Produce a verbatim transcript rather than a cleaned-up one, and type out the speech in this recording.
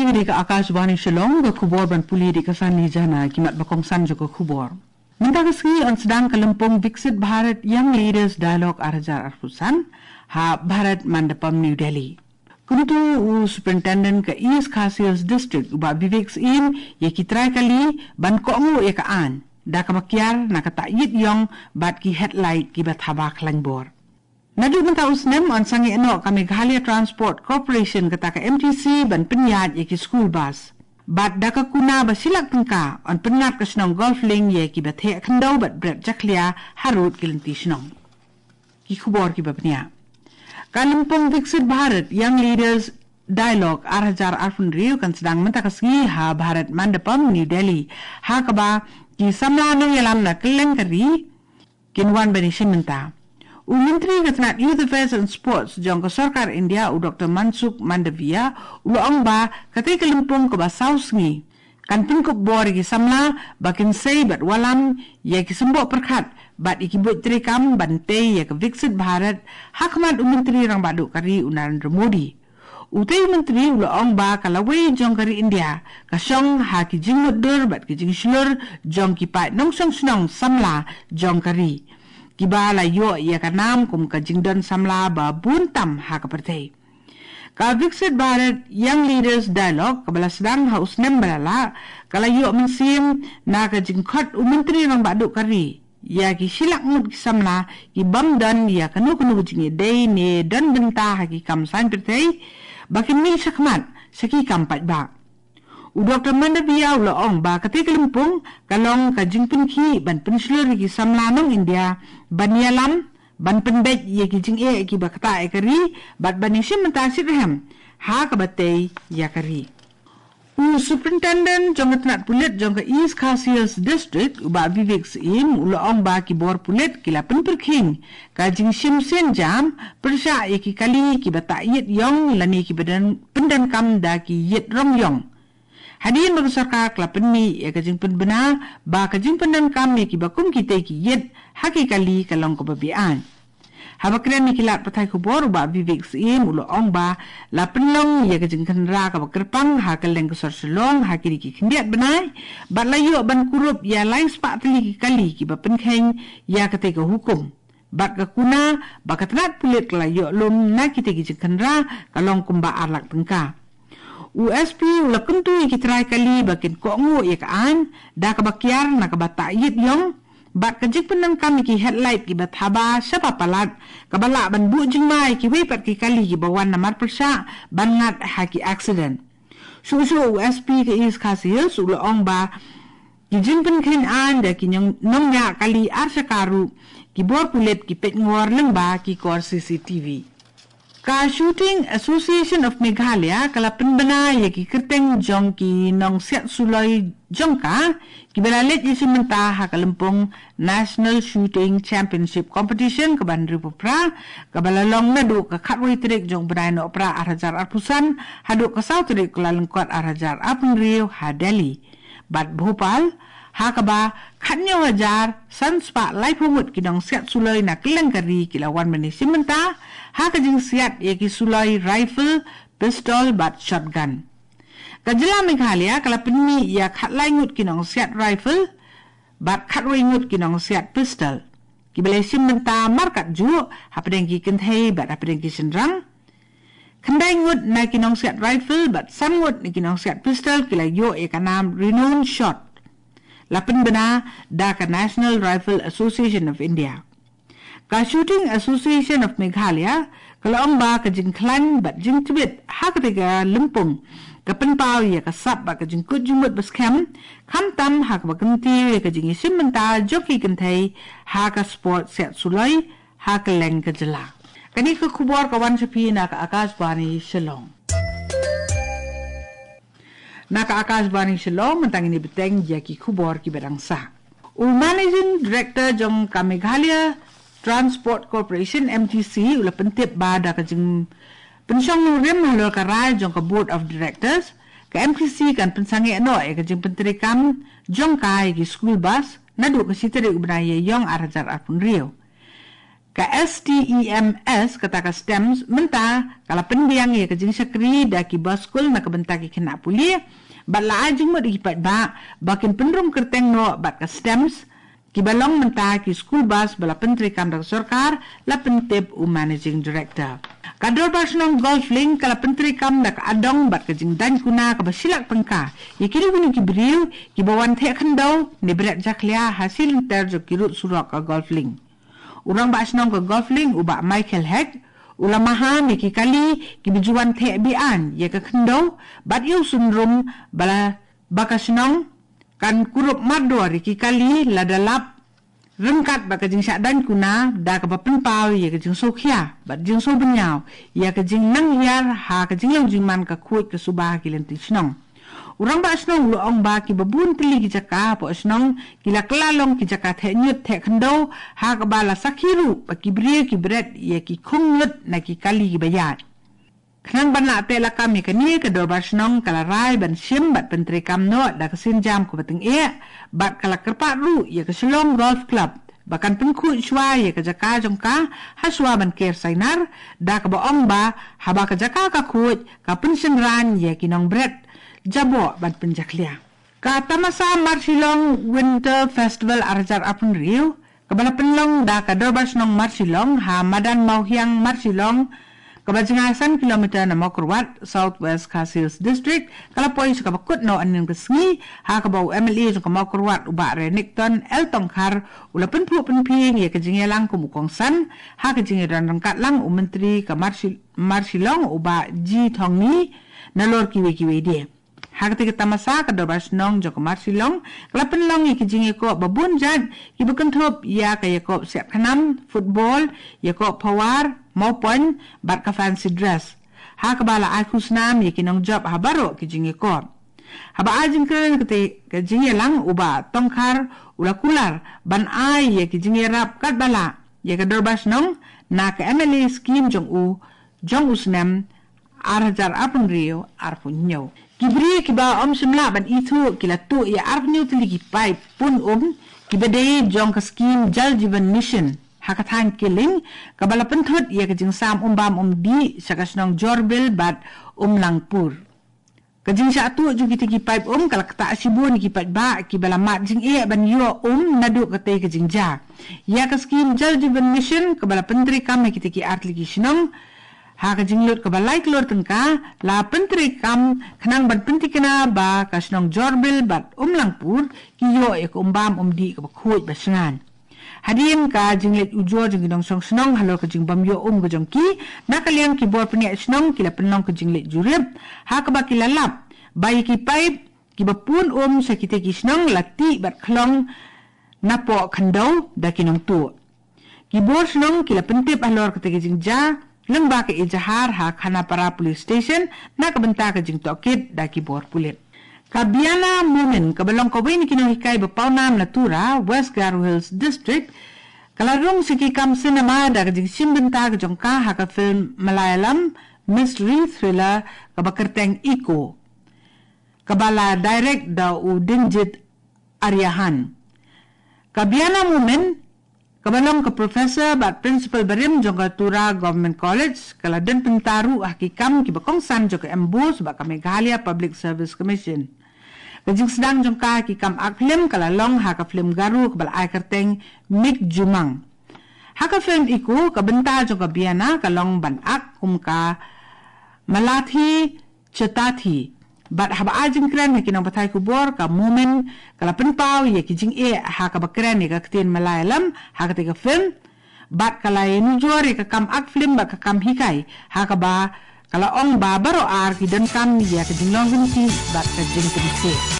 Dei ka Akashvani Shillong, ka khubor ban pule dei ka Sani Jana, ki mat ba kongsan jong ka khubor. Mynta ka sngi yn sdang ka lympung Viksit Bharat Young Leaders Dialogue ar hajar arphew san, ha Bharat Mandapam, New Delhi. Kyntu u Superintendent ka East Khasi Hills District, u Bah Vivek Syiem, ïa ki trai kali ban kohnguh ïa ka aiñ da kaba kiar na ka taïit ïong bad ki headlight kiba thaba khlaiñ bor. Naduh mynta u snem yn sangeh noh ka Meghalaya Transport Corporation, kata ka M T C, ban pynïaid ïa ki school bus. Bad da ka kuna ba shi lak tyngka yn pynngat ka shnong Golf Link ïa kiba theh khyndew bad bret jakhlia harud ki lynti shnong. Ki khubor kiba bniah. Ka lympung Viksit Bharat Young Leaders Dialogue ar hajar arphew hynriew kan sdang mynta ka sngi ha Bharat Mandapam, New Delhi, ha kaba ki samla nongïalam na kylleng ka ri kin wan ban ïashim bynta. U Myntri ka tnat Youth Affairs and Sports jong ka Sorkar India, u Doktor Mansukh Mandaviya, u la ong ba katei ka lympung kaba saw sngi kan pynkup bor ïa ki samla ba kin sei bad wallam ïa ki symboh pyrkhat bad ïa ki buit treikam ban tei ïa ka Viksit Bharat ha khmat u Myntri Rangbah Duh ka ri, u Narendra Modi. Utei u Myntri u la ong ba ka lawei jong ka ri India ka shong ha ki jingmutdur bad ki jingshlur jong ki paid nongshong shnong samla jong ka ri, kiba la ïoh ïa ka nam kum ka jingdon samla ba bun tam ha ka pyrthei. Ka Viksit Bharat Young Leaders Dialogue, kaba la sdang ha u snem ba la leit, ka la ïoh mynsiem na ka jingkhot u Myntri Rangbah Duh ka ri ïa ki shi lak ngut ki samla ki bym don ïa kano kano ka jingïadei ne don bynta ha ki kam saiñ pyrthei, ba kin mih shakhmat sha ki kam paidbah. U Doktor Mandaviya u la ong ba katei ka lympung ka long ka jingpynkhih ban pynshlur ïa ki samla nong India ban ïalam, ban pynbeit ïa ki jingeh kiba ktah ïa ka ri bad ban ïashim bynta shitrhem ha kaba tei ïa ka ri. U Superintendent jong ka tnat pulit jong ka East Khasi Hills District, u Bah Vivek Syiem, u la ong ba ki bor pulit ki la pynpyrkhing ka jingshim sienjam pyrshah ïa ki kali kiba taïit ïong lane kiba don pyndonkam da ki ïit rong ïong. Hadien ba ka sorkar ka la pynmih ïa ka jingpynbna ba ka jingpyndonkam ïa kiba kum kitei ki ïit ha ki kali ka long kaba beaiñ. Haba kren ïa ki lad pathai khubor, u Bah Vivek Syiem u la ong ba la pynlong ïa ka jingkhynra kaba kyrpang ha kylleng ka sor Shillong ha kine ki khyndiat bnai, bad la ïoh ban kurup ïa lai spah tylli ki kali kiba pynkheiñ ïa katei ka hukum. Bad ka kuna ba ka tnat pulit ka la ïoh lum na kitei ki jingkhynra ka long kumba ar lak tyngka. U S P u la kyntu ïa ki trai kali ba kin kohnguh ïa ka aiñ da kaba kiar na kaba taïit ïong, bad ka jingpyndonkam ïa ki headlight kiba thaba shaba palat kaba lah ban buh jingma ïa kiwei pat ki kali kiba wan namar pyrshah ban ngat ha ki accident. Shuh shuh u S P ka East Khasi Hills u la ong ba ki jingpynkheiñ aiñ da ki nong-, nongñiah kali ar shaka ruh ki bor pulit ki peit ngor lyngba ki kor C C T V. Ka Shooting Association of Meghalaya ka la pynbna ïa ki kyrteng jong ki nongsiat suloi jong ka, kiba la leit ïashim bynta ha ka lympung National Shooting Championship Competition kaba hynriewphew phra, kaba la long naduh ka khatwei tarik jong u bnai Nohprah ar hajar arphew san haduh ka saw tarik u Kyllalyngkot ar hajar arphew hynriew ha Delhi. Bad Bhopal, ha kaba khathynñiew hajar san spah laiphew ngut ki nongsiat suloi na kylleng ka ri ki la wan ban ïashim bynta ha ka jingsiat ïa ki suloi rifle, pistol bad shotgun. Ka jylla Meghalaya ka la pynmih ïa khatlai ngut ki nongsiat rifle bad khatwei ngut ki nongsiat pistol, kiba la ïashim bynta markatjuh hapdeng ki kynthei bad hapdeng ki shynrang. Khyndai ngut na ki nongsiat rifle bad san ngut na ki nongsiat pistol ki la ïoh ïa ka nam renowned shot, la pynbna da ka National Rifle Association of India. Ka Shooting Association of Meghalaya ka la ong ba ka jingkhlaiñ bad jingtbit ha katei ka lympung ka pynpaw ïa ka sap bad ka jingkut jingmut ba skhem, khamtam ha kaba kyntiew ïa ka jingïashim bynta jong ki kynthei ha ka sport siat suloi ha kylleng ka jylla. Kane ka khubor ka wan sha phi na ka Akashvani Shillong. Na ka Akashvani Shillong, mynta ngin ïa bteng ïa ki khubor kiba dang sah. U Managing Director jong ka Meghalaya Transport Corporation, M T C, u la pyntip ba da ka jingpynshong nongrim halor ka rai jong ka Board of Directors, ka M T C kan pynsangeh noh ïa ka jingpyntreikam jong ka ïa ki school bus naduh ka shi tarik u bnai Ïaïong ar hajar arphew hynriew. Ka STEMS, kata ka STEMS, mynta ka la pynbiang ïa ka jingshakri da ki baskul na ka bynta ki khynnah pule, bad la ai jingmut ïa ki paidbah ba kin pynrung kyrteng noh bad ka STEMS, kiba long mynta ki school bus ba la pyntreikam da ka sorkar, la pyntip u Managing Director. Ka Dorbar Shnong Golf Link ka la pyntreikam da ka adong bad ka jingdaiñ kuna kaba shilak tyngka ïa kino kino ki briew kiba wan theh khyndew ne bret jakhlia ha shi lynter jong ki rud surok ka Golf Link. U Rangbah Shnong ka Golf Link, u Bah Michael Hek, u la maham ïa ki kali kiba ju wan theh be-aiñ ïa ka khyndew, bad ïa u synrum ba la, ba ka shnong kan kurup mardor ïa ki kali lada lap ryngkat bad ka jingshah daiñ kuna, da kaba pynpaw ïa ka jingsngewkhia bad jingsngewbynñiaw ïa ka jingnang hiar ha ka jinglong jingman ka khuid ka suba ha ki lynti shnong. U Rangbah Shnong u la ong ba kiba bun tylli ki jaka hapoh shnong ki la kylla long ki jaka theh ñiut theh khyndew, ha kaba la sakhi ruh ba ki briew ki bret ïa ki khung ñiut na ki kali kiba ïaid. Khnang ban lah teh lakam ïa kane, ka Dorbar Shnong ka la rai ban shim bad pyntreikam noh da ka sienjam kaba tyngeh, bad ka la kyrpad ruh ïa ka Shillong Golf Club ba kan pynkhuid shuwa ïa ka jaka jong ka ha shuwa ban ker sainar, da kaba ong ba haba ka jaka ka khuid, ka pynshynrang ïa ki nongbret jaboh ban pynjakhlia. Ka tamasa Marshillong Winter Festival ar hajar arphew hynriew, kaba la pynlong da ka Dorbar Shnong Marshillong ha madan Mawhiang Marshillong, kaba jngai san kilometer na Mawkyrwat, South West Khasi Hills District, ka la poi sha kaba kut noh hynnin ka sngi, ha kaba u MLA jong ka Mawkyrwat, u Bah Renikton L Tongkhar, u la pynphuh pynphieng ïa ka jingïalang kum u kongsan ha ka jingïadon ryngkat lang u Myntri ka Marshi-, Marshillong, u Bah G Thongni, nalor kiwei kiwei de. Ha kata ka tamasa, ka Dorbar Shnong jong ka Marshillong ka la pynlong ïa ki jingïakob ba bun jait, kiba kynthup ïa ka ïakob siat khnam, football, ïakob phawar, mawpoiñ, bad ka fancy dress, ha kaba la ai khusnam ïa ki nongjop ha baroh ki jingïakob. Haba ai jingkren ha kata ka jingïalang, u Bah Tongkhar u la kular ban ai ïa ki jingïarap katba lah ïa ka Dorbar Shnong na ka MLA scheme jong u, jong u snem ar hajar arphew hynriew arphew hynñiew. Ki briew kiba ym shym lah ban ithuh ki la tuh ïa arphew hynñiew tylli ki paip pun um kiba dei jong ka scheme Jal Jeevan Mission ha ka thaiñ Killing, kaba la pynthut ïa ka jingsam um bam um dih sha ka shnong Jorbil bad Umlangpur. Ka jingshah tuh jong kita ki paip um ka la ktah shibun ïa ki paidbah kiba la mad jingeh ban ïoh um naduh katei ka jingjia. Ïa ka scheme Jal Jeevan Mission, kaba la pyntreikam ha kita ki artylli ki shnong ha ka jinglut kaba lai klur tyngka, la pyntreikam khnang ban pynthikna ba ka shnong Jorbil bad Umlangpur ki ïoh ïa ka um bam um dih kaba khuid ba shngaiñ. Hadien ka jingleit ujor jong ki nongshong shnong halor ka jingbym ïoh um ka jong ki, na ka liang ki bor pynïaid shnong ki la pynlong ka jingleit jurip, ha kaba ki la lap ba ïa ki paip kiba pun um sha kita ki shnong la tih bad khlong napoh khyndew da ki nongtuh. Ki bor shnong ki la pyntip halor kata ka jingjia lyngba ka ejahar ha Khanapara Police Station na ka bynta ka jingtohkit da ki bor pulit. Ka Biana Momin, kaba long kawei na ki nonghikai ba pawnam na Tura, West Garo Hills District, ka la rung sha ki kam cinema da ka jingshim bynta ka jong ka ha ka film Malayalam mystery thriller kaba kyrteng Echo, kaba la direct da u Dinjit Aryahan. Ka Biana Momin, kaba long ka professor bad principal barim jong ka Tura Government College, ka la don bynta ruh ha ki kam kiba kongsan jong ka MBOSE bad ka Meghalaya Public Service Commission. Ka jingsdang jong ka ha ki kam ak film ka la long ha ka film Garo kaba la ai kyrteng Mik Jumang. Ha ka film Echo, ka bynta jong ka Biana ka long ban ak kum ka Malathi Chetathi. Bad haba ai jingkren ha ki nongpathai khubor, ka Momin ka la pynpaw ïa ki jingeh ha kaba kren ïa ka ktien Malayalam ha kata ka film. Bad ka la ïanujor ïa ka kam ak film bad ka kam hikai, ha kaba ka la ong ba baroh ar ki donkam ïa ka jinglong ryntih bad ka jingpynthei.